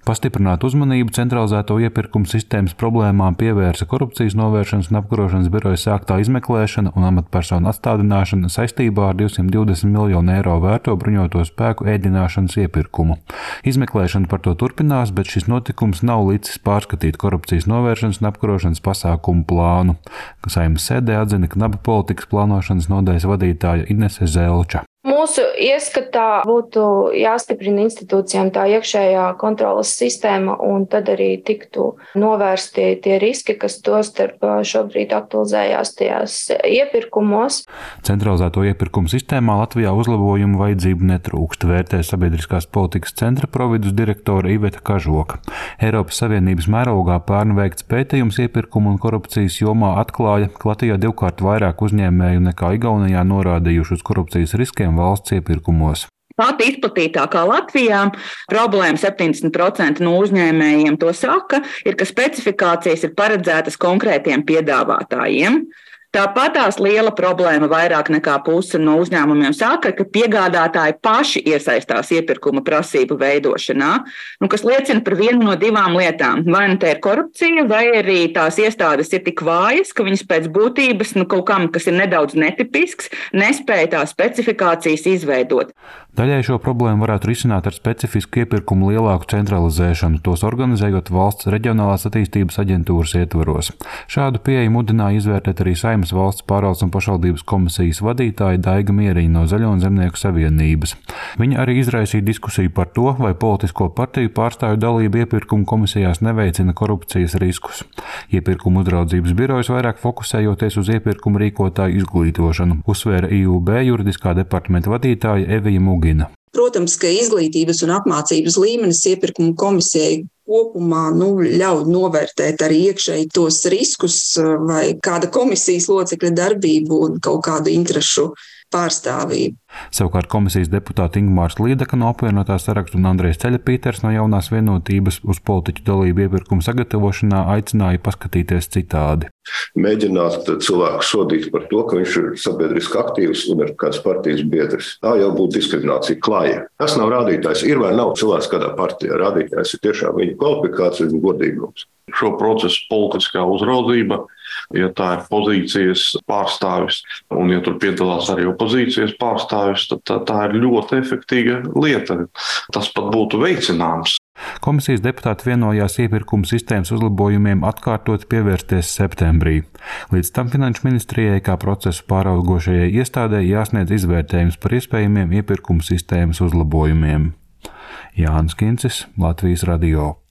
Pastiprināt uzmanību centralizēto iepirkumu sistēmas problēmām pievērsa Korupcijas novēršanas un apkarošanas biroja sāktā izmeklēšana un amatpersonu atstādināšana saistībā ar 220 miljonu eiro vērto bruņoto spēku ēdināšanas iepirkumu. Izmeklēšana par to turpinās, bet šis notikums nav licis pārskatīt korupcijas novēršanas un apkarošanas pasākumu plānu. Saeimas sēdē atzina Knaba politikas plānošanas nodaļas vadītāja Inese Zelča. Mūsu ieskatā būtu jāstiprina institūcijām tā iekšējā kontroles sistēma, un tad arī tiktu novērsti tie riski, kas tostarp šobrīd aktualizējās tajās iepirkumos. Centralizēto iepirkumu sistēmā Latvijā uzlabojumu vajadzību netrūkst, vērtē Sabiedriskās politikas centra providus direktore Iveta Kažoka. Eiropas Savienības mērogā pērn veikts pētījums iepirkumu un korupcijas jomā atklāja, ka Latvijā 2x vairāk uzņēmēju nekā Igaunijā norādījuši uz korupcijas riskiem valsts iepirkumos. Pat izplatītākā Latvijā problēma 70% no uzņēmējiem to saka, ir, ka specifikācijas ir paredzētas konkrētiem piedāvātājiem. Tāpat tās liela problēma vairāk nekā puse no uzņēmumiem saka, ka piegādātāji paši iesaistās iepirkuma prasību veidošanā, kas liecina par vienu no divām lietām. Vai nu te ir korupcija, vai arī tās iestādes ir tik vājas, ka viņas pēc būtības kaut kam, kas ir nedaudz netipisks, nespēja tās specifikācijas izveidot. Daļai šo problēmu varētu risināt ar specifisku iepirkumu lielāku centralizēšanu, tos organizējot valsts reģionālās attīstības aģentūras ietvaros. Šādu pieeju mudināja izvērtēt arī Saeimas valsts pārvaldes un pašvaldības komisijas vadītāja Daiga Mieriņa no Zaļo un Zemnieku savienības. Viņa arī izraisīja diskusiju par to, vai politisko partiju pārstāvju dalība iepirkumu komisijās neveicina korupcijas riskus. Iepirkumu uzraudzības birojas vairāk fokusējoties uz iepirkumu rīkotāju izglītošanu, uzsvēra IUB juridiskā departamenta vadītāja Evija Mugina. Protams, ka izglītības un apmācības līmenis iepirkumu komisijai kopumā ļauj novērtēt arī iekšēji tos riskus vai kāda komisijas locekļa darbību un kaut kādu interešu pārstāvību. Savukārt komisijas deputāti Ingmārs Līdaka no apvienotā saraksta un Andrejs Ceļapīters no Jaunās vienotības uz politiķu dalību iepirkumu sagatavošanā aicināja paskatīties citādi. Mēģināt cilvēku sodīt par to, ka viņš ir sabiedriski aktīvs un ir kāds partijas biedrs. Tā jau būtu diskriminācija klaja. Tas nav rādītājs. Ir vai nav cilvēks kādā partijā. Rādītājs ir tiešām viņa kvalifikācija un godīgums. Šo procesu politiskā uzraudzība, ja tā ir pozīcijas pārstāvis un ja tur piedalās arī opozīcijas pārstāvis, tad tā ir ļoti efektīva lieta. Tas pat būtu veicināms. Komisijas deputāti vienojās iepirkuma sistēmas uzlabojumiem atkārtot pievērsties septembrī. Līdz tam Finanšu ministrijai kā procesu pāraugošajai iestādei jāsniedz izvērtējums par iespējamiem iepirkuma sistēmas uzlabojumiem. Jānis Kincis, Latvijas radio.